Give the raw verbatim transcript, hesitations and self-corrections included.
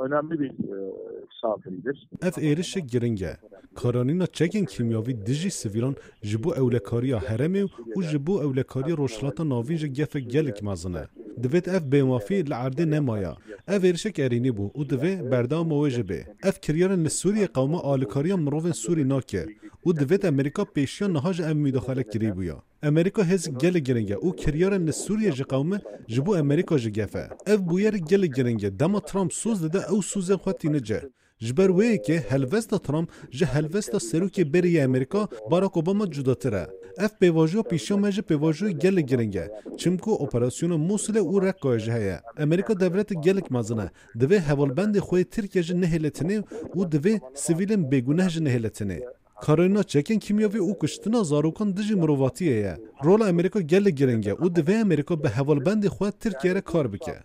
önemli bir e, saldırıdır. Ev êrişek giring e. Karanîna çekên kîmyavî dijî sivîlan ji bo ewlekariya herêmê û ji bo ewlekariya Rojhilata Navîn jî gefek gelek mezin e. Divêt ev bêmafî li erdê nemaya. Ev êrişek erênî bû û divê berdewama wê jî bê. Ev kiryarên li Sûriyê qewma alîkariya mirovên Sûrî nake û divêt Amerîka pêşiya niha jî ev mudaxale kirî bûya. Amerîka hêzik gelek giring e û kiryarên li Sûriyê ji qewme ji bo Amerîka jî gef e. Ev bûyerek gelek giring e. Dema Trump soz dide ew sozên xwe tîne cih. Ji ber wê yekê helwesta Trump ji helwesta serokê berê yê Amerîka Barack Obama cudatir e. Ev pêvajoya pêşiya me jî pêvajoyê gelek giring e. Çimku operasyona Mûsilê û Reqqayê jî heye. Amerîka dewletê gelek mezin e. Divê hevalbendê xwe yê Tirkiye jî nehêle tinê û divê sivîlên bêguneh jî nehêle tinê. Karayîna çekên kîmyavî û kuştina zarokan dijî mirovatiyê ye. Rola Amerîka gelek giring e û divê Amerîka bi hevalbendê xwe Tirkiye re kar bike.